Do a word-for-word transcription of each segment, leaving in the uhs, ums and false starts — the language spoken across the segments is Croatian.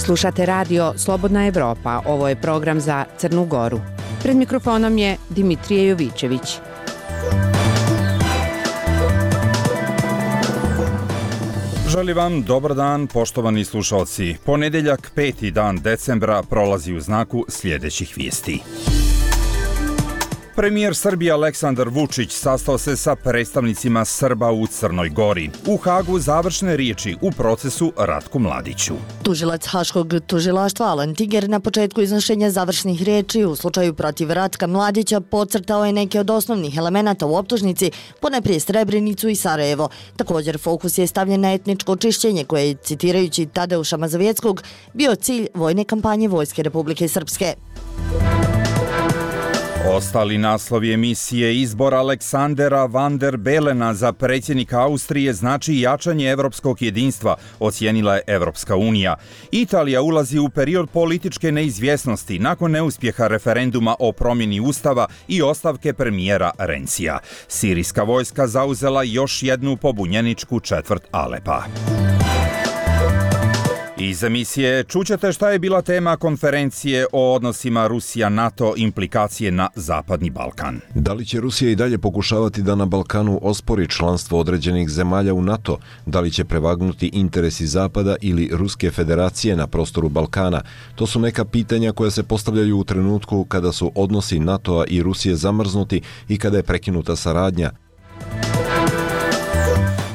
Slušate radio Slobodna Evropa, ovo je program za Crnu Goru. Pred mikrofonom je Dimitrije Jovićević. Želim vam dobar dan, poštovani slušalci. Ponedeljak, peti dan decembra, prolazi u znaku sljedećih vijesti. Premijer Srbije Aleksandar Vučić sastao se sa predstavnicima Srba u Crnoj Gori. U Hagu završne riječi u procesu Ratku Mladiću. Tužilac Haškog tužilaštva Alan Tiger na početku iznošenja završnih riječi u slučaju protiv Ratka Mladića podcrtao je neke od osnovnih elemenata u optužnici, poneprije Srebrenicu i Sarajevo. Također fokus je stavljen na etničko čišćenje koje je, citirajući Tadeuša Mazovjeckog, bio cilj vojne kampanje Vojske Republike Srpske. Ostali naslovi emisije: izbor Aleksandera Van der Belena za predsjednika Austrije znači jačanje evropskog jedinstva, ocijenila je Evropska unija. Italija ulazi u period političke neizvjesnosti nakon neuspjeha referenduma o promjeni ustava i ostavke premijera Rencija. Sirijska vojska zauzela još jednu pobunjeničku četvrt Alepa. Iz emisije čućete šta je bila tema konferencije o odnosima Rusija-NATO, implikacije na Zapadni Balkan. Da li će Rusija i dalje pokušavati da na Balkanu ospori članstvo određenih zemalja u NATO? Da li će prevagnuti interesi Zapada ili Ruske federacije na prostoru Balkana? To su neka pitanja koja se postavljaju u trenutku kada su odnosi NATO-a i Rusije zamrznuti i kada je prekinuta saradnja.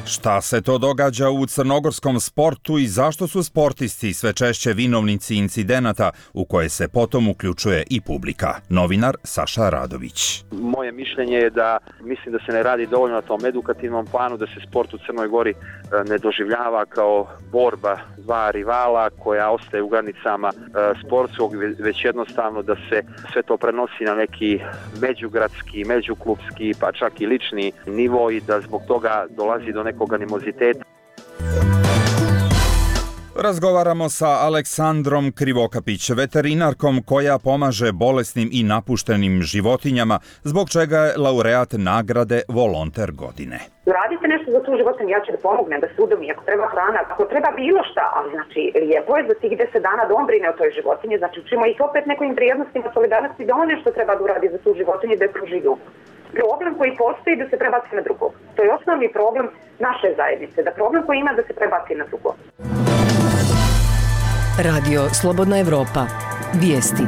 Šta se to događa u crnogorskom sportu i zašto su sportisti sve češće vinovnici incidenata u koje se potom uključuje i publika? Novinar Saša Radović. Moje mišljenje je da mislim da se ne radi dovoljno na tom edukativnom planu, da se sport u Crnoj Gori ne doživljava kao borba dva rivala koja ostaje u granicama sportskog, već jednostavno da se sve to prenosi na neki međugradski, međuklubski, pa čak i lični nivo i da zbog toga dolazi do nekog animoziteta. Razgovaramo sa Aleksandrom Krivokapić, veterinarkom koja pomaže bolesnim i napuštenim životinjama, zbog čega je laureat nagrade Volonter godine. Radite nešto za tu životinju, ja ću da pomognem, da se udomi, ako treba hrana, ako treba bilo šta, ali znači lijepo je za tih deset dana da on brine o toj životinji, znači učimo ih opet nekim vrijednostima, solidarnosti, da on nešto treba da uradi za tu životinju, da je pruži ljubav. Problem koji postoji da se prebaci na drugog. To je osnovni problem naše zajednice, da problem koji ima da se prebaci na drugog. Radio Slobodna Evropa. Vijesti.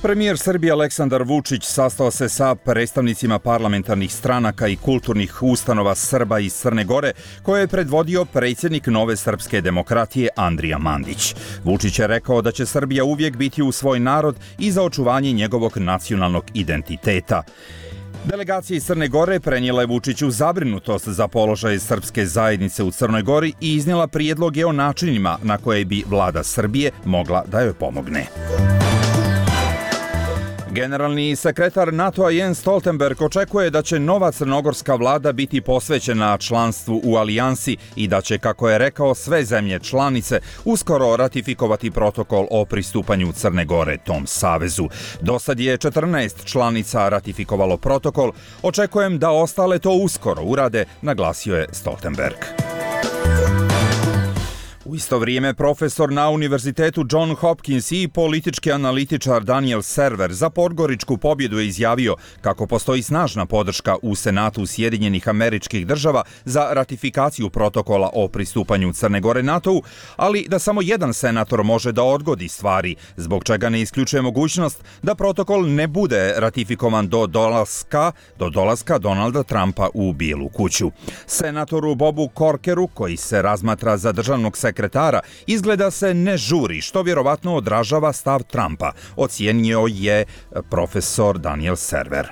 Premijer Srbije Aleksandar Vučić sastao se sa predstavnicima parlamentarnih stranaka i kulturnih ustanova Srba iz Crne Gore, koje je predvodio predsjednik Nove srpske demokratije Andrija Mandić. Vučić je rekao da će Srbija uvijek biti uz svoj narod i za očuvanje njegovog nacionalnog identiteta. Delegacija iz Crne Gore prenijela je Vučiću zabrinutost za položaj srpske zajednice u Crnoj Gori i iznijela prijedloge o načinima na koje bi vlada Srbije mogla da joj pomogne. Generalni sekretar NATO-a Jens Stoltenberg očekuje da će nova crnogorska vlada biti posvećena članstvu u alijansi i da će, kako je rekao, sve zemlje članice uskoro ratifikovati protokol o pristupanju Crne Gore tom savezu. Dosad je četrnaest članica ratifikovalo protokol. Očekujem da ostale to uskoro urade, naglasio je Stoltenberg. U isto vrijeme profesor na Univerzitetu John Hopkins i politički analitičar Daniel Server za podgoričku pobjedu je izjavio kako postoji snažna podrška u Senatu Sjedinjenih Američkih Država za ratifikaciju protokola o pristupanju Crne Gore NATO-u, ali da samo jedan senator može da odgodi stvari, zbog čega ne isključuje mogućnost da protokol ne bude ratifikovan do dolaska, do dolaska Donalda Trumpa u Bijelu kuću. Senatoru Bobu Corkeru, koji se razmatra za državnog sekretara sekretara izgleda se ne žuri, što vjerovatno odražava stav Trumpa, ocijenio je profesor Daniel Server.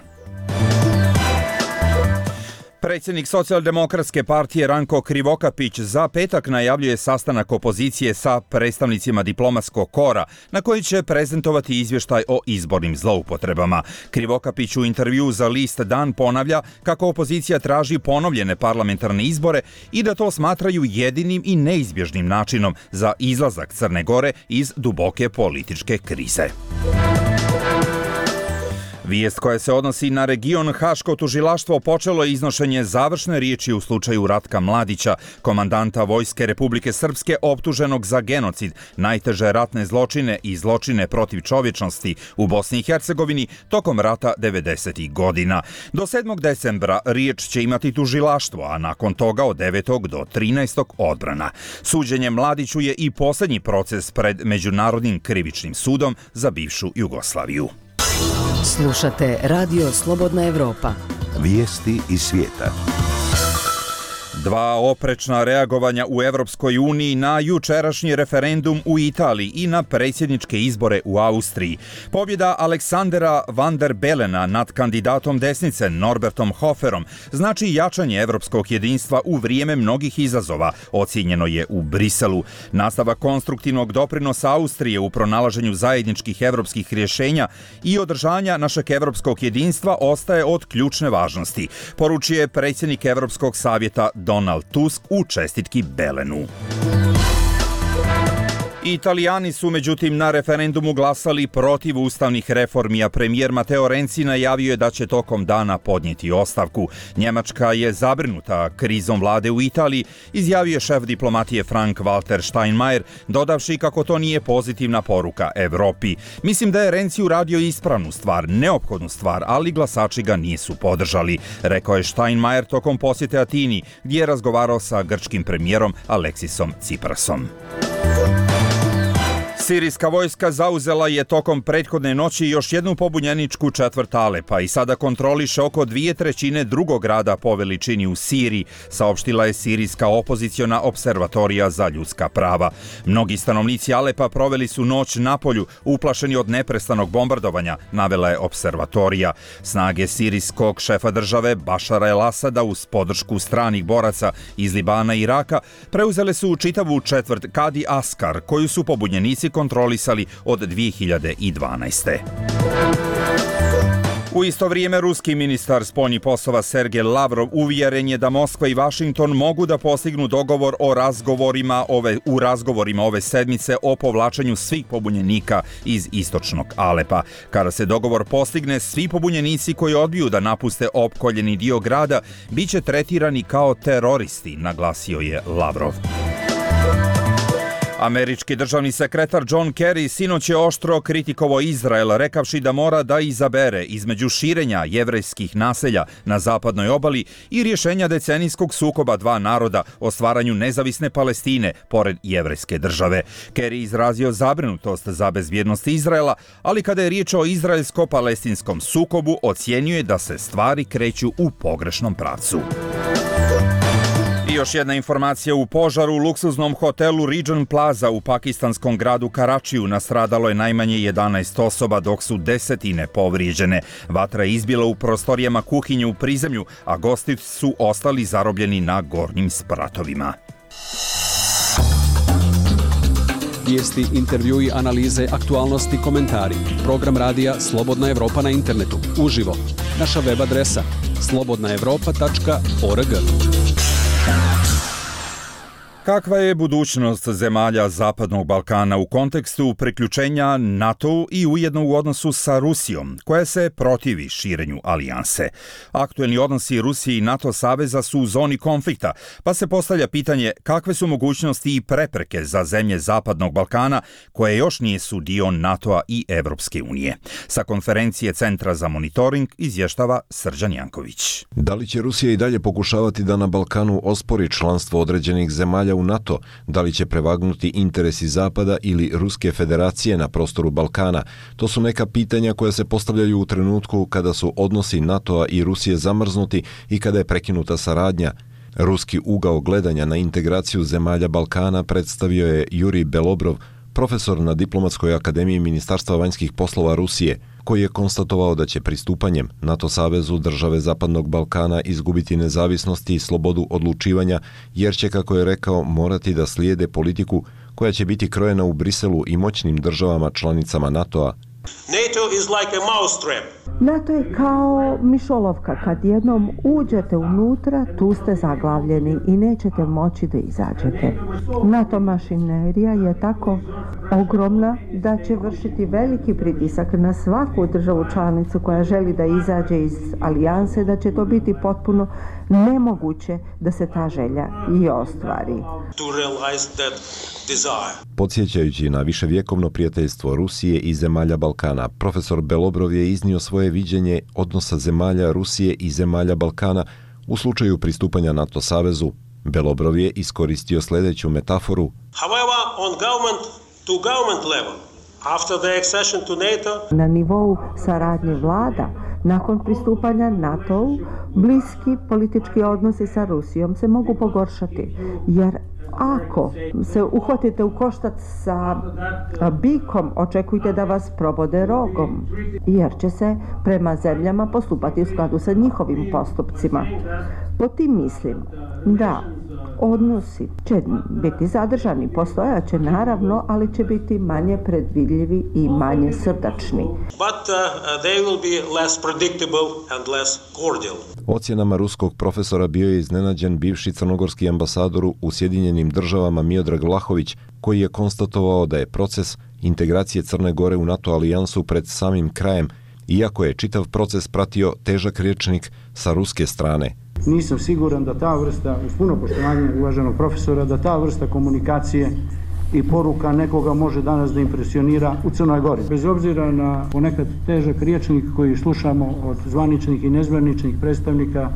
Predsjednik Socijaldemokratske partije Ranko Krivokapić za petak najavljuje sastanak opozicije sa predstavnicima diplomatskog kora na koji će prezentovati izvještaj o izbornim zloupotrebama. Krivokapić u intervju za list Dan ponavlja kako opozicija traži ponovljene parlamentarne izbore i da to smatraju jedinim i neizbježnim načinom za izlazak Crne Gore iz duboke političke krize. Vijest koja se odnosi na region, Haško tužilaštvo počelo je iznošenje završne riječi u slučaju Ratka Mladića, komandanta Vojske Republike Srpske optuženog za genocid, najteže ratne zločine i zločine protiv čovječnosti u Bosni i Hercegovini tokom rata devedesetih godina. Do sedmog decembra riječ će imati tužilaštvo, a nakon toga od devetog do trinaestog odbrana. Suđenje Mladiću je i posljednji proces pred Međunarodnim krivičnim sudom za bivšu Jugoslaviju. Slušate Radio Slobodna Evropa. Vijesti iz svijeta. Dva oprečna reagovanja u Evropskoj uniji na jučerašnji referendum u Italiji i na predsjedničke izbore u Austriji. Pobjeda Aleksandera van der Belena nad kandidatom desnice Norbertom Hoferom znači jačanje evropskog jedinstva u vrijeme mnogih izazova, ocijenjeno je u Briselu. Nastavak konstruktivnog doprinosa Austrije u pronalaženju zajedničkih evropskih rješenja i održanja našeg evropskog jedinstva ostaje od ključne važnosti, poručuje predsjednik Evropskog savjeta Donald Tusk u čestitki Belenu. Italijani su međutim na referendumu glasali protiv ustavnih reformi, a premijer Matteo Renzi najavio je da će tokom dana podnijeti ostavku. Njemačka je zabrinuta krizom vlade u Italiji, izjavio je šef diplomatije Frank-Walter Steinmeier, dodavši kako to nije pozitivna poruka Evropi. Mislim da je Renzi uradio ispravnu stvar, neophodnu stvar, ali glasači ga nisu podržali, rekao je Steinmeier tokom posjete Atini, gdje je razgovarao sa grčkim premijerom Aleksisom Tsiprasom. Sirijska vojska zauzela je tokom prethodne noći još jednu pobunjeničku četvrt Alepa i sada kontroliše oko dvije trećine drugog grada po veličini u Siriji, saopštila je sirijska opoziciona observatorija za ljudska prava. Mnogi stanovnici Alepa proveli su noć napolju, uplašeni od neprestanog bombardovanja, navela je observatorija. Snage sirijskog šefa države Bašara el-Asada uz podršku stranih boraca iz Libana i Iraka preuzele su čitavu četvrt Kadi Askar, koju su pobunjenici kontrolisali od dvije hiljade dvanaeste. U isto vrijeme ruski ministar spoljnih poslova Sergej Lavrov uvjeren je da Moskva i Vašington mogu da postignu dogovor o razgovorima ove, u razgovorima ove sedmice o povlačenju svih pobunjenika iz istočnog Alepa. Kada se dogovor postigne, svi pobunjenici koji odbiju da napuste opkoljeni dio grada biće tretirani kao teroristi, naglasio je Lavrov. Američki državni sekretar John Kerry sinoć je oštro kritikovao Izrael, rekavši da mora da izabere između širenja jevrejskih naselja na zapadnoj obali i rješenja decenijskog sukoba dva naroda o stvaranju nezavisne Palestine pored jevrejske države. Kerry izrazio zabrinutost za bezbjednost Izraela, ali kada je riječ o izraelsko-palestinskom sukobu, ocijenio je da se stvari kreću u pogrešnom pravcu. I još jedna informacija: u požaru u luksuznom hotelu Regent Plaza u pakistanskom gradu Karačiju nastradalo je najmanje jedanaest osoba, dok su desetine povrijeđene. Vatra je izbila u prostorijama kuhinje u prizemlju, a gosti su ostali zarobljeni na gornjim spratovima. Vijesti, intervjui, analize, aktualnosti, komentari. Program radija Slobodna Evropa na internetu, uživo. Naša web adresa slobodna evropa tačka org. Kakva je budućnost zemalja Zapadnog Balkana u kontekstu priključenja NATO i ujedno u odnosu sa Rusijom, koja se protivi širenju alijanse? Aktuelni odnosi Rusije i NATO saveza su u zoni konflikta, pa se postavlja pitanje kakve su mogućnosti i prepreke za zemlje Zapadnog Balkana koje još nisu dio NATO-a i Evropske unije. Sa konferencije Centra za monitoring izvještava Srđan Janković. Da li će Rusija i dalje pokušavati da na Balkanu ospori članstvo određenih zemalja u NATO, da li će prevagnuti interesi Zapada ili Ruske federacije na prostoru Balkana? To su neka pitanja koja se postavljaju u trenutku kada su odnosi NATO-a i Rusije zamrznuti i kada je prekinuta saradnja. Ruski ugao gledanja na integraciju zemalja Balkana predstavio je Jurij Belobrov, profesor na Diplomatskoj akademiji Ministarstva vanjskih poslova Rusije, koji je konstatovao da će pristupanjem NATO savezu države Zapadnog Balkana izgubiti nezavisnost i slobodu odlučivanja, jer će, kako je rekao, morati da slijede politiku koja će biti krojena u Briselu i moćnim državama članicama NATO-a NATO is like a mousetrap. NATO je kao mišolovka. Kad jednom uđete unutra, tu ste zaglavljeni i nećete moći da izađete. NATO mašinerija je tako ogromna da će vršiti veliki pritisak na svaku državu članicu koja želi da izađe iz alijanse, da će to biti potpuno nemoguće da se ta želja i ostvari. To realize that desire. Podsjećajući na viševjekovno prijateljstvo Rusije i zemalja Balkana, profesor Belobrov je iznio svoje viđenje odnosa zemalja Rusije i zemalja Balkana u slučaju pristupanja NATO savezu. Belobrov je iskoristio sljedeću metaforu. However, on government to government level, after the accession to NATO, na nivou saradnje vlada, nakon pristupanja NATO-u, bliski politički odnosi sa Rusijom se mogu pogoršati, jer ako se uhvatite u koštac sa bikom, očekujte da vas probode rogom, jer će se prema zemljama postupati u skladu sa njihovim postupcima. Po tim mislim da odnosi će biti zadržani, postojaće naravno, ali će biti manje predvidljivi i manje srdačni. But uh, they will be less predictable and less cordial. Ocjenama ruskog profesora bio je iznenađen bivši crnogorski ambasador u Sjedinjenim državama Miodrag Vlahović, koji je konstatovao da je proces integracije Crne Gore u NATO alijansu pred samim krajem, iako je čitav proces pratio težak rječnik sa ruske strane. Nisam siguran da ta vrsta, uz puno poštovanja uvaženog profesora, da ta vrsta komunikacije i poruka nekoga može danas da impresionira u Crnoj Gori. Bez obzira na ponekad težak rječnik koji slušamo od zvaničnih i nezvaničnih predstavnika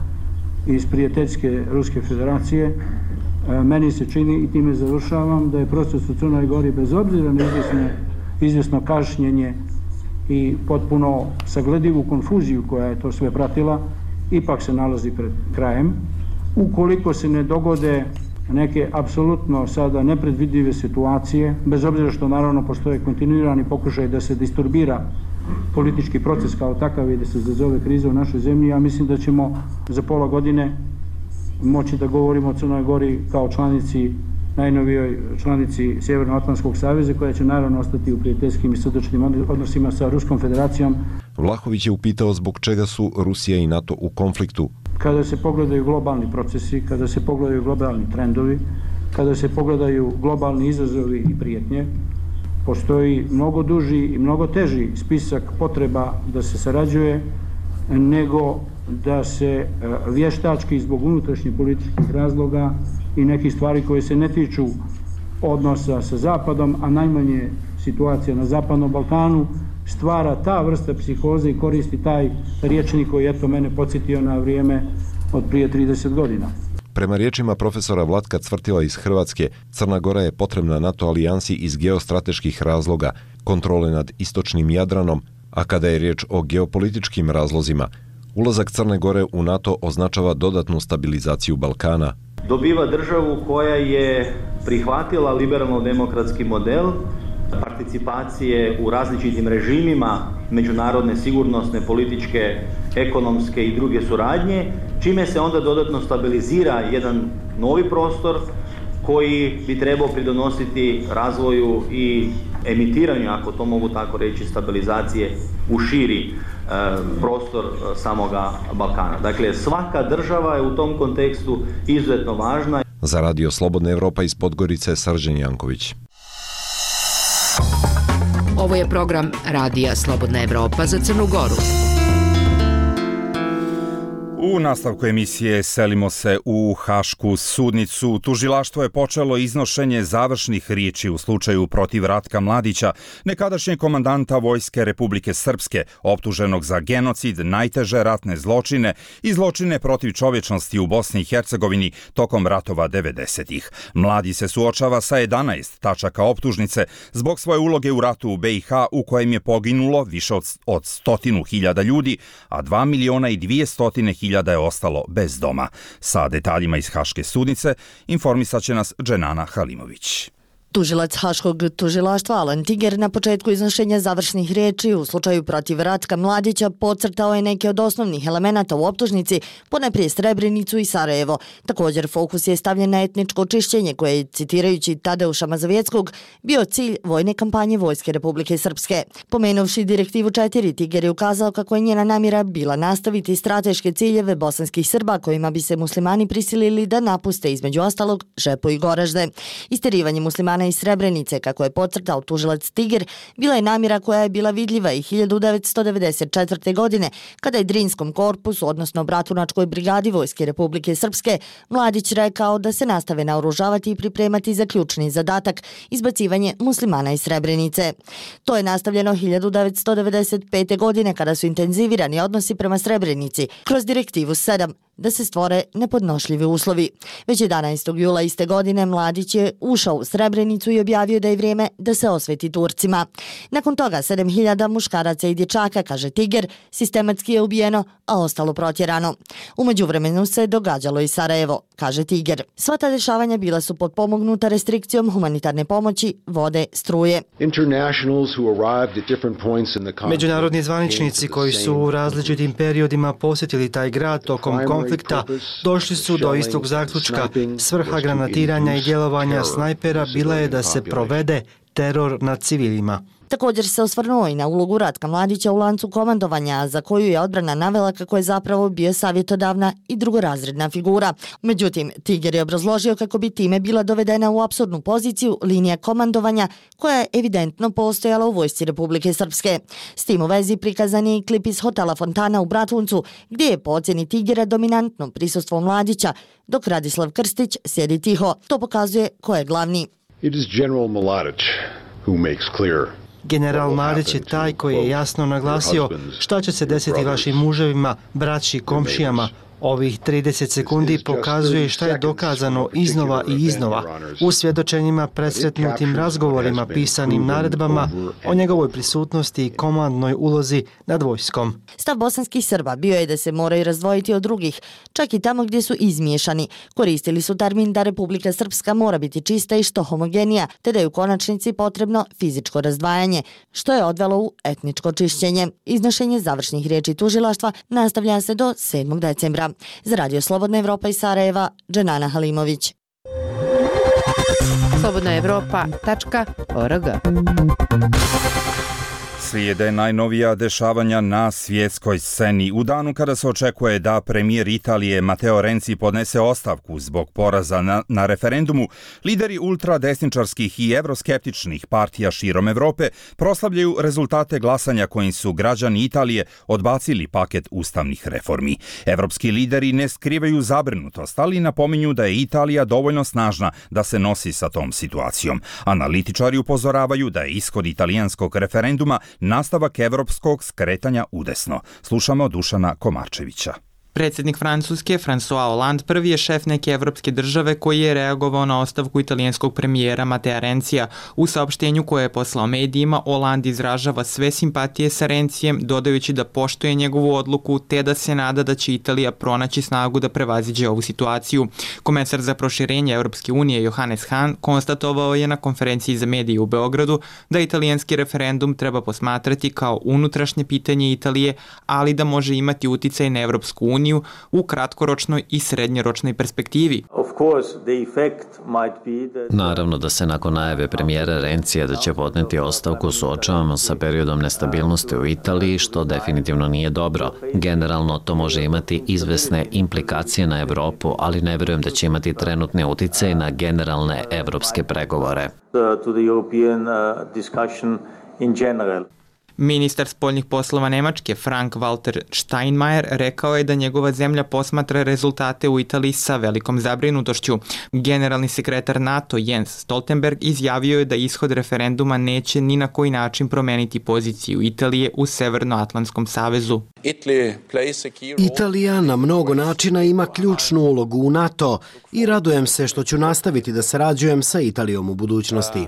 iz prijateljske Ruske federacije, meni se čini, i time završavam, da je proces u Crnoj Gori bez obzira na izvjesno, izvjesno kašnjenje i potpuno sagledivu konfuziju koja je to sve pratila, ipak se nalazi pred krajem. Ukoliko se ne dogode neke apsolutno sada nepredvidljive situacije, bez obzira što naravno postoje kontinuirani pokušaj da se disturbira politički proces kao takav i da se izazove kriza u našoj zemlji, ja mislim da ćemo za pola godine moći da govorimo o Crnoj Gori kao članici, najnovijoj članici Sjevernoatlantskog saveza, koja će naravno ostati u prijateljskim i srdačnim odnosima sa Ruskom federacijom. Vlahović je upitao zbog čega su Rusija i NATO u konfliktu. Kada se pogledaju globalni procesi, kada se pogledaju globalni trendovi, kada se pogledaju globalni izazovi i prijetnje, postoji mnogo duži i mnogo teži spisak potreba da se sarađuje nego da se vještački zbog unutrašnjih političkih razloga i nekih stvari koje se ne tiču odnosa sa Zapadom, a najmanje situacija na Zapadnom Balkanu, stvara ta vrsta psihoze i koristi taj rječnik koji je to mene podsjetio na vrijeme od prije trideset godina. Prema riječima profesora Vlatka Cvrtila iz Hrvatske, Crna Gora je potrebna NATO alijansi iz geostrateških razloga, kontrole nad istočnim Jadranom, a kada je riječ o geopolitičkim razlozima, ulazak Crne Gore u NATO označava dodatnu stabilizaciju Balkana. Dobiva državu koja je prihvatila liberalno-demokratski model participacije u različitim režimima međunarodne sigurnosne, političke, ekonomske i druge suradnje, čime se onda dodatno stabilizira jedan novi prostor koji bi trebao pridonositi razvoju i emitiranju, ako to mogu tako reći, stabilizacije u širi e, prostor samoga Balkana. Dakle, svaka država je u tom kontekstu izuzetno važna. Za Radio Slobodna Evropa iz Podgorice, Srđan Janković. Ovo je program Radija Slobodna Evropa za Crnu Goru. U nastavku emisije selimo se u Hašku sudnicu. Tužilaštvo je počelo iznošenje završnih riječi u slučaju protiv Ratka Mladića, nekadašnjeg komandanta Vojske Republike Srpske, optuženog za genocid, najteže ratne zločine i zločine protiv čovječnosti u Bosni i Hercegovini tokom ratova devedesetih. Mladi se suočava sa jedanaest tačaka optužnice zbog svoje uloge u ratu u be i ha u kojem je poginulo više od, od stotinu hiljada ljudi, a dva miliona i dvije stotine hiljada da je ostalo bez doma. Sa detaljima iz Haške sudnice informisat će nas Dženana Halimović. Tužilac Haškog tužilaštva Alan Tiger na početku iznošenja završnih riječi u slučaju protiv Ratka Mladića podcrtao je neke od osnovnih elemenata u optužnici, ponajprije Srebrenicu i Sarajevo. Također fokus je stavljen na etničko čišćenje koje je, citirajući Tadeuša Mazovjeckog, bio cilj vojne kampanje Vojske Republike Srpske. Pomenuvši direktivu četiri, Tiger je ukazao kako je njena namjera bila nastaviti strateške ciljeve bosanskih Srba kojima bi se muslimani prisilili da napuste između ostalog Žepo i Goražde. Isterivanje muslimana iz Srebrenice, kako je podcrtao tužilac Tiger, bila je namjera koja je bila vidljiva i hiljadu devetsto devedeset četvrte. godine, kada je Drinskom korpusu, odnosno Bratunačkoj brigadi Vojske Republike Srpske, Mladić rekao da se nastave naoružavati i pripremati za ključni zadatak, izbacivanje muslimana iz Srebrenice. To je nastavljeno hiljadu devetsto devedeset pete. godine, kada su intenzivirani odnosi prema Srebrenici kroz direktivu sedam, da se stvore nepodnošljivi uslovi. Već jedanaestog jula iste godine Mladić je ušao u Srebrenicu i objavio da je vrijeme da se osveti Turcima. Nakon toga sedam hiljada muškaraca i dječaka, kaže Tiger, sistematski je ubijeno, a ostalo protjerano. U međuvremenu se događalo i Sarajevo, kaže Tiger. Sva ta dešavanja bila su potpomognuta restrikcijom humanitarne pomoći, vode, struje. Međunarodni zvaničnici koji su u različitim periodima posjetili taj grad tokom konflikta došli su do istog zaključka. Svrha granatiranja i djelovanja snajpera bila je da se provede teror nad civilima. Također se osvrnuo i na ulogu Ratka Mladića u lancu komandovanja, za koju je odbrana navela kako je zapravo bio savjetodavna i drugorazredna figura. Međutim, Tiger je obrazložio kako bi time bila dovedena u apsurdnu poziciju linija komandovanja koja je evidentno postojala u Vojsci Republike Srpske. S tim u vezi prikazan je i klip iz hotela Fontana u Bratuncu, gdje je po ocjeni Tigera dominantno prisustvo Mladića, dok Radislav Krstić sjedi tiho. To pokazuje ko je glavni. It is General Mladić who makes clear General Mladić je taj koji je jasno naglasio šta će se desiti vašim muževima, braći, komšijama. Ovih trideset sekundi pokazuje šta je dokazano iznova i iznova u svjedočenjima, presretnutim razgovorima, pisanim naredbama o njegovoj prisutnosti i komandnoj ulozi nad vojskom. Stav bosanskih Srba bio je da se moraju razdvojiti od drugih, čak i tamo gdje su izmiješani. Koristili su termin da Republika Srpska mora biti čista i što homogenija, te da je u konačnici potrebno fizičko razdvajanje, što je odvelo u etničko čišćenje. Iznošenje završnih riječi tužilaštva nastavlja se do sedmog decembra. Za Radio Slobodna Evropa iz Sarajeva, Dženana Halimović. slobodna evropa tačka org. Slijede najnovija dešavanja na svjetskoj sceni. U danu kada se očekuje da premijer Italije Matteo Renzi podnese ostavku zbog poraza na, na referendumu, lideri ultradesničarskih i evroskeptičnih partija širom Evrope proslavljaju rezultate glasanja kojim su građani Italije odbacili paket ustavnih reformi. Evropski lideri ne skrivaju zabrinutost, ali napominju da je Italija dovoljno snažna da se nosi sa tom situacijom. Analitičari upozoravaju da je ishod italijanskog referenduma nastavak evropskog skretanja udesno. Slušamo Dušana Komarčevića. Predsjednik Francuske, François Hollande, prvi je šef neke evropske države koji je reagovao na ostavku italijanskog premijera Mattea Renzija. U saopštenju koje je poslao medijima, Hollande izražava sve simpatije sa Renzijem, dodajući da poštuje njegovu odluku, te da se nada da će Italija pronaći snagu da prevaziđe ovu situaciju. Komesar za proširenje Evropske unije Johannes Hahn konstatovao je na konferenciji za medije u Beogradu da italijanski referendum treba posmatrati kao unutrašnje pitanje Italije, ali da može imati uticaj na Evropsku uniju u kratkoročnoj i srednjoročnoj perspektivi. Naravno da se nakon najave premijera Renzija da će podneti ostavku suočavamo sa periodom nestabilnosti u Italiji, što definitivno nije dobro. Generalno to može imati izvesne implikacije na Evropu, ali ne vjerujem da će imati trenutni uticaj na generalne evropske pregovore. Ministar spoljnih poslova Nemačke Frank-Walter Steinmeier rekao je da njegova zemlja posmatra rezultate u Italiji sa velikom zabrinutošću. Generalni sekretar NATO Jens Stoltenberg izjavio je da ishod referenduma neće ni na koji način promeniti poziciju Italije u Severnoatlantskom savezu. Italija na mnogo načina ima ključnu ulogu u NATO i radujem se što ću nastaviti da sarađujem sa Italijom u budućnosti.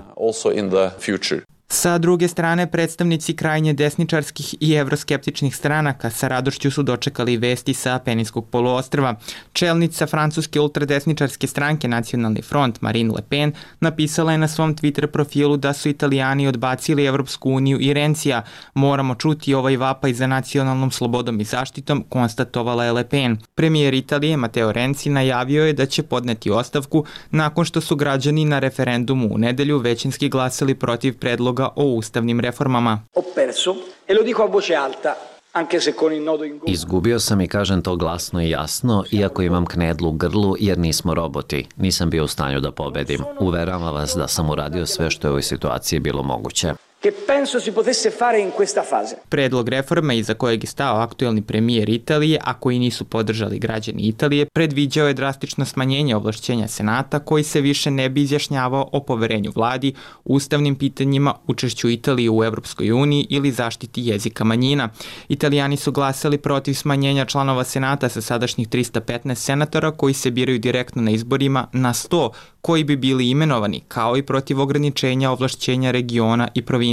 Sa druge strane, predstavnici krajnje desničarskih i evroskeptičnih stranaka sa radošću su dočekali vesti sa Apeninskog poluostrva. Čelnica francuske ultradesničarske stranke Nacionalni front Marine Le Pen napisala je na svom Twitter profilu da su Italijani odbacili Evropsku uniju i Rencija. Moramo čuti ovaj vapaj za nacionalnom slobodom i zaštitom, konstatovala je Le Pen. Premijer Italije Matteo Renzi najavio je da će podneti ostavku nakon što su građani na referendumu u nedelju većinski glasali protiv predloga o ustavnim reformama. Izgubio sam i kažem to glasno i jasno, iako imam knedlu u grlu jer nismo roboti. Nisam bio u stanju da pobedim. Uveravam vas da sam uradio sve što je u ovoj situaciji bilo moguće. Predlog reforme iza kojeg je stao aktuelni premijer Italije, a koji nisu podržali građani Italije, predviđao je drastično smanjenje ovlašćenja Senata koji se više ne bi izjašnjavao o poverenju vladi, ustavnim pitanjima, učešću Italije u Evropskoj uniji ili zaštiti jezika manjina. Italijani su glasali protiv smanjenja članova Senata sa sadašnjih trista petnaest senatora koji se biraju direktno na izborima na sto koji bi bili imenovani, kao i protiv ograničenja ovlašćenja regiona i provincija.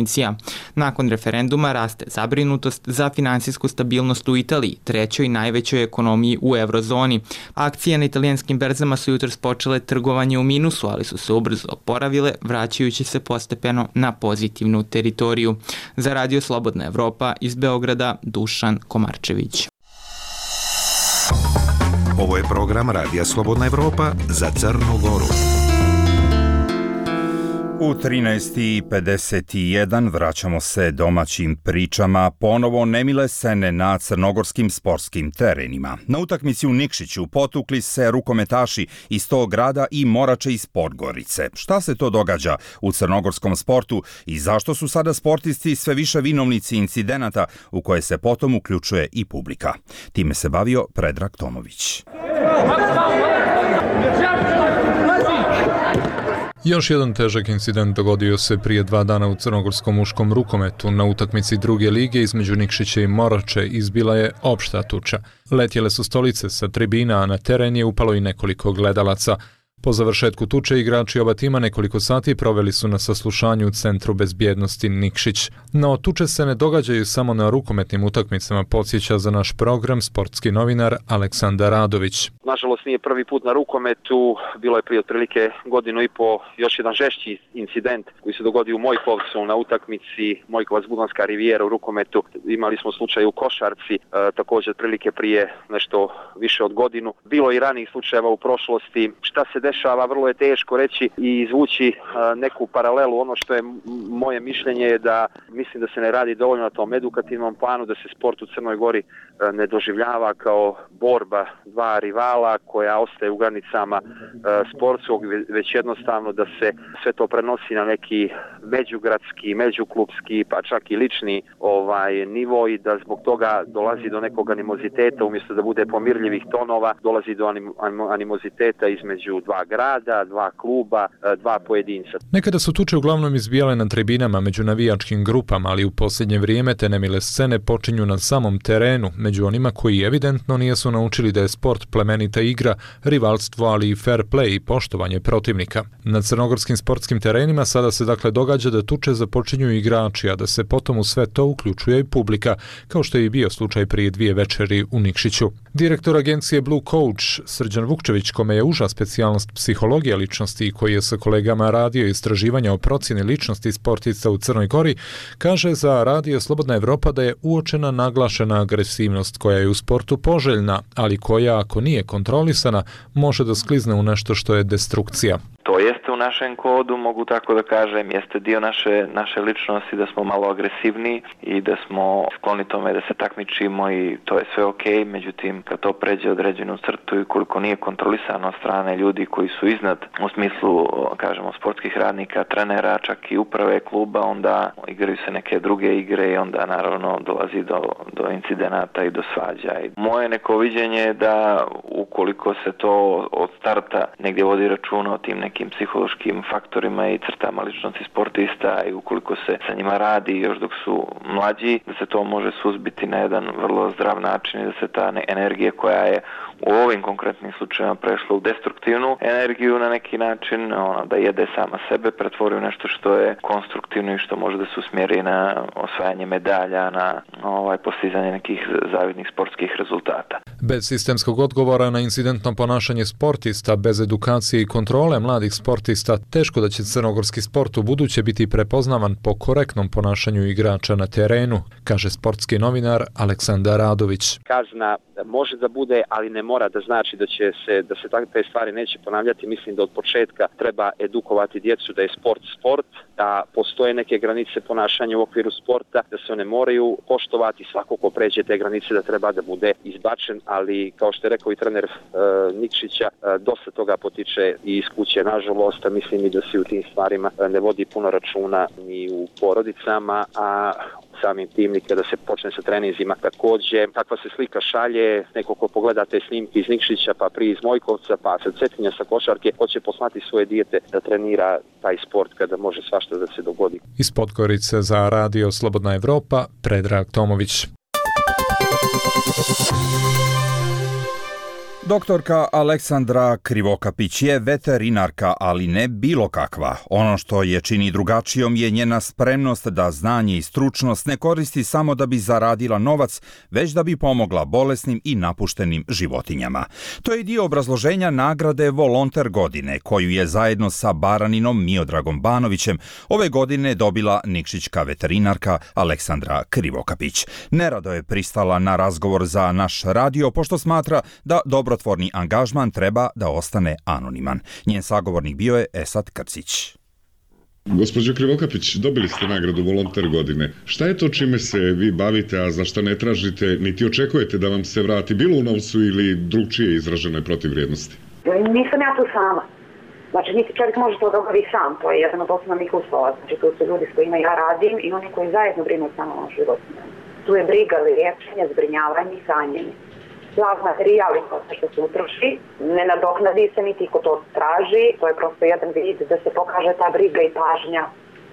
Nakon referenduma raste zabrinutost za finansijsku stabilnost u Italiji, trećoj najvećoj ekonomiji u eurozoni. Akcije na italijanskim berzama su jutros počele trgovanje u minusu, ali su se ubrzo oporavile, vraćajući se postepeno na pozitivnu teritoriju. Za Radio Slobodna Evropa iz Beograda, Dušan Komarčević. Ovo je program Radija Slobodna Evropa za Crnu Goru. U trinaest i pedeset jedan vraćamo se domaćim pričama, ponovo nemile scene na crnogorskim sportskim terenima. Na utakmici u Nikšiću potukli se rukometaši iz tog grada i Morače iz Podgorice. Šta se to događa u crnogorskom sportu i zašto su sada sportisti sve više vinovnici incidenata u koje se potom uključuje i publika? Time se bavio Predrag Tomović. Još jedan težak incident dogodio se prije dva dana u crnogorskom muškom rukometu. Na utakmici druge lige između Nikšića i Morače izbila je opšta tuča. Letjele su stolice sa tribina, a na teren je upalo i nekoliko gledalaca. Po završetku tuče igrači oba tima nekoliko sati proveli su na saslušanju u Centru bezbjednosti Nikšić. No, tuče se ne događaju samo na rukometnim utakmicama, podsjeća za naš program sportski novinar Aleksandar Radović. Nažalost nije prvi put na rukometu, bilo je prije otprilike godinu i po još jedan žešći incident koji se dogodio u Mojkovcu na utakmici Mojkovac-Budanska rivijera u rukometu. Imali smo slučaj u košarci, e, također otprilike prije nešto više od godinu. Bilo je i ranijih slučajeva u prošlosti. Šta se dešava, vrlo je teško reći i izvući a, neku paralelu. Ono što je moje mišljenje je da mislim da se ne radi dovoljno na tom edukativnom planu, da se sport u Crnoj Gori a, ne doživljava kao borba dva rivala koja ostaje u granicama a, sportskog, već jednostavno da se sve to prenosi na neki međugradski, međuklubski, pa čak i lični ovaj nivo i da zbog toga dolazi do nekog animoziteta, umjesto da bude pomirljivih tonova, dolazi do anim, animoziteta između dva grada, dva kluba, dva pojedinca. Nekada su tuče uglavnom izbijale na tribinama među navijačkim grupama, ali u posljednje vrijeme te nemile scene počinju na samom terenu, među onima koji evidentno nisu naučili da je sport plemenita igra, rivalstvo, ali i fair play i poštovanje protivnika. Na crnogorskim sportskim terenima sada se dakle događa da tuče započinju igrači, a da se potom u sve to uključuje i publika, kao što je i bio slučaj prije dvije večeri u Nikšiću. Direktor agencije Blue Coach Srđan Vukčević, kome je uža specijalnost psihologija ličnosti i koji je sa kolegama radio istraživanja o procjeni ličnosti sportista u Crnoj Gori, kaže za Radio Slobodna Evropa da je uočena naglašena agresivnost koja je u sportu poželjna, ali koja ako nije kontrolisana može da sklizne u nešto što je destrukcija. To jeste u našem kodu, mogu tako da kažem, jeste dio naše, naše ličnosti da smo malo agresivni i da smo skloni tome da se takmičimo i to je sve okej, međutim kad to pređe određenu crtu i koliko nije kontrolisano od strane ljudi koji su iznad u smislu, kažemo, sportskih radnika, trenera, čak i uprave kluba, onda igraju se neke druge igre i onda naravno dolazi do, do incidenata i do svađa. I moje neko viđenje je da ukoliko se to od starta negdje vodi računa o tim nekim psihološkim faktorima i crtama ličnosti sportista i ukoliko se sa njima radi još dok su mlađi, da se to može suzbiti na jedan vrlo zdrav način i da se ta energija koja je u ovim konkretnim slučajevima prešla u destruktivnu energiju na neki način, ono, da jede sama sebe, pretvori u nešto što je konstruktivno i što može da se usmjeri na osvajanje medalja, na ovaj, postizanje nekih zavidnih sportskih rezultata. Bez sistemskog odgovora na incidentno ponašanje sportista, bez edukacije i kontrole mladih sportista, teško da će crnogorski sport u buduće biti prepoznavan po korektnom ponašanju igrača na terenu, kaže sportski novinar Aleksandar Radović. Kazna može da bude, ali ne mora da znači da će se da se takve stvari neće ponavljati. Mislim da od početka treba edukovati djecu da je sport sport, da postoje neke granice ponašanja u okviru sporta, da se one moraju poštovati. Svako ko pređe te granice da treba da bude izbačen, ali kao što je rekao i trener e, Nikšića, e, dosta toga potiče i iz kuće, nažalost, a mislim i da se u tim stvarima ne vodi puno računa ni u porodicama, a samim tim ni kada se počne sa treninzima. Također, takva se slika šalje, neko ko pogleda te snimke iz Nikšića, pa prije iz Mojkovca, pa sa Cetinja, sa košarke, hoće poslati svoje dijete da trenira taj sport kada može svašta da se dogodi. Iz Podgorice za Radio Slobodna Evropa, Predrag Tomović. Doktorka Aleksandra Krivokapić je veterinarka, ali ne bilo kakva. Ono što je čini drugačijom je njena spremnost da znanje i stručnost ne koristi samo da bi zaradila novac, već da bi pomogla bolesnim i napuštenim životinjama. To je dio obrazloženja nagrade Volonter godine, koju je zajedno sa baraninom Miodragom Banovićem ove godine dobila nikšićka veterinarka Aleksandra Krivokapić. Nerado je pristala na razgovor za naš radio, pošto smatra da dobro dobrotvorni angažman treba da ostane anoniman. Njen sagovornik bio je Esad Krcić. Gospođo Krivokapić, dobili ste nagradu Volonter godine. Šta je to čime se vi bavite, a za šta ne tražite, niti očekujete da vam se vrati bilo u novcu ili drugčije izraženoj protivvrijednosti? Nisam ja tu sama. Znači, niti čovjek može to da obavi sam, to je jedan od osnovnih uslova. Znači, tu su ljudi s kojima ja radim i oni koji zajedno brinu samo o životinjama. Tu je briga, liječenje, zbrinjavanje i hranjenje. Plav materijali što se utroši, ne nadoknadi se niti ko to traži, to je prosto jedan vid da se pokaže ta briga i pažnja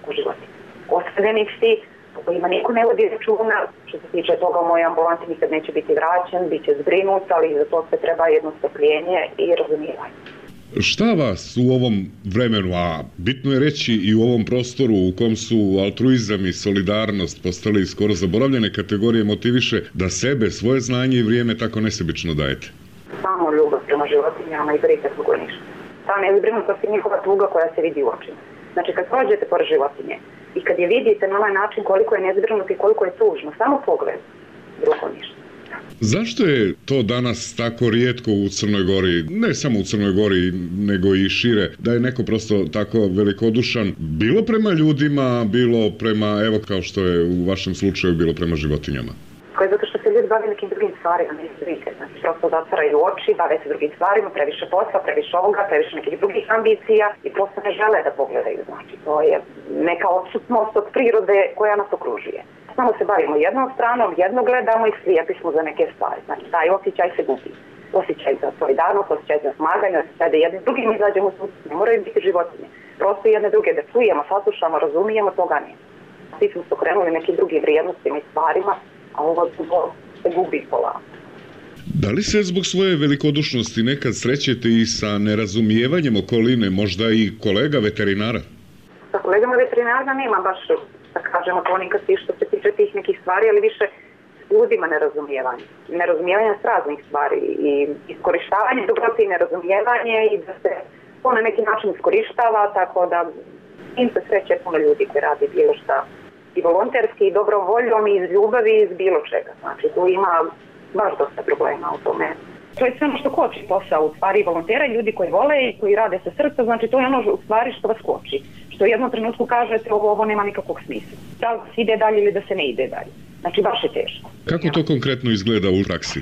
u životinju. Ostavljenici, po kojima niko ne vodi računa, što se tiče toga u mojoj ambulanti nikad neće biti vraćen, bit će zbrinut, ali za to se treba jedno strpljenje i razumijevanje. Šta vas u ovom vremenu, a bitno je reći i u ovom prostoru u kom su altruizam i solidarnost postali skoro zaboravljene kategorije, motiviše da sebe, svoje znanje i vrijeme tako nesebično dajete? Samo ljubav prema životinjama i briga drugo ništa. Ta nezbrinutost je njihova tuga koja se vidi u očima. Znači kad prođete pored životinje i kad je vidite na ovaj način koliko je nezbrinut i koliko je tužno, samo pogled, drugo ništa. Zašto je to danas tako rijetko u Crnoj Gori, ne samo u Crnoj Gori, nego i šire, da je neko prosto tako velikodušan, bilo prema ljudima, bilo prema, evo kao što je u vašem slučaju, bilo prema životinjama? Koje zato što se ljudi bave nekim drugim stvarima, ne vidite, znači prosto zatvaraju oči, bave se drugim stvarima, previše posla, previše ovoga, previše nekih drugih ambicija i prosto ne žele da pogledaju, znači to je neka odsutnost od prirode koja nas okružuje. Samo se bavimo jednom stranom, jedno gledamo i slijepi smo za neke stvari. Znači, taj osjećaj se gubi. Osjećaj za solidarnost, osjećaj za smaganje, osjećaj da jednim drugim izađemo u susret. Ne moraju biti životinje. Prosto jedne druge da čujemo, saslušamo, razumijemo, toga nije. Svi smo se okrenuli nekim drugim vrijednostima i stvarima, a ovo se gubi pola. Da li se zbog svoje velikodušnosti nekad srećete i sa nerazumijevanjem okoline, možda i kolega veterinara? Sa kolegama veterinara nema baš, da kažemo, to nikad što se tiče tih nekih stvari, ali više ljudima nerazumijevanje. Nerazumijevanje s raznih stvari i iskorištavanje dobrote i nerazumijevanje i da se to na neki način iskorištava, tako da im se sreće puno ljudi koji radi bilo šta i volonterski, i dobrovoljom, i iz ljubavi, i iz bilo čega. Znači, tu ima baš dosta problema u tome. To je sve ono što koči posao u stvari volontera i ljudi koji vole i koji rade sa srca, znači to je ono u stvari što vas koči. Što u jednom trenutku kažete ovo, ovo nema nikakvog smisla. Da se ide dalje ili da se ne ide dalje. Znači baš je teško. Kako to konkretno izgleda u praksi?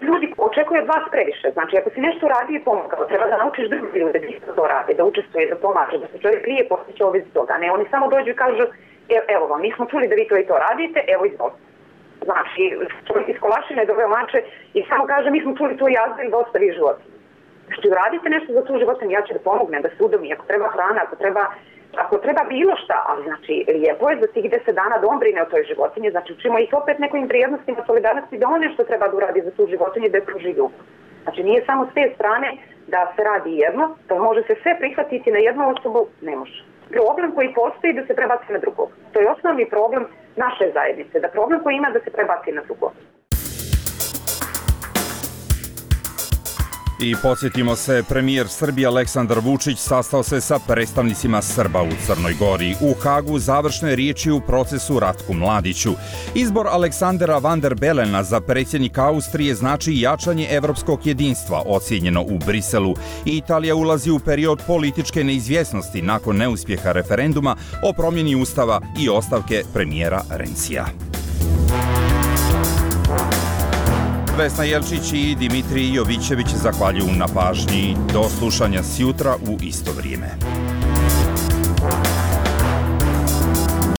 Ljudi očekuju od vas previše. Znači ako si nešto radi i pomogao, treba da naučiš drugi ljude da isto to rade, da učestvuje, da pomaže, da se čovjek lije postiće ovih toga. Ne, oni samo dođu i kažu evo vam, mi smo čuli da vi to i to radite, evo izvolite. Znači, čovjek iz Kolašine doveo mače i samo kaže mi smo čuli to jazda i da ostavi životinju. Znači, uradite nešto za tu životinju, ja ću da pomognem, da se udomi, ako treba hrana, ako treba, ako treba bilo šta, ali znači, lijepo je za tih deset dana da on brine o toj životinji, znači učimo ih opet nekim vrijednostima solidarnosti da on nešto treba da uradi za tu životinju da je pruži ljubav. Znači nije samo s te strane da se radi jedno, da može se sve prihvatiti na jednu osobu, ne može. Problem koji postoji da se prebaci na drugog. To je osnovni problem naše zajednice, da problem koji ima da se prebaci na drugog. I podsjetimo se, premijer Srbije Aleksandar Vučić sastao se sa predstavnicima Srba u Crnoj Gori. U Hagu završne riječi u procesu Ratku Mladiću. Izbor Aleksandra van der Belena za predsjednika Austrije znači jačanje evropskog jedinstva, ocijenjeno u Briselu. I Italija ulazi u period političke neizvjesnosti nakon neuspjeha referenduma o promjeni ustava i ostavke premijera Rencija. Vesna Jelčić i Dimitrij Jovićević zahvaljuju na pažnji. Do slušanja sjutra u isto vrijeme.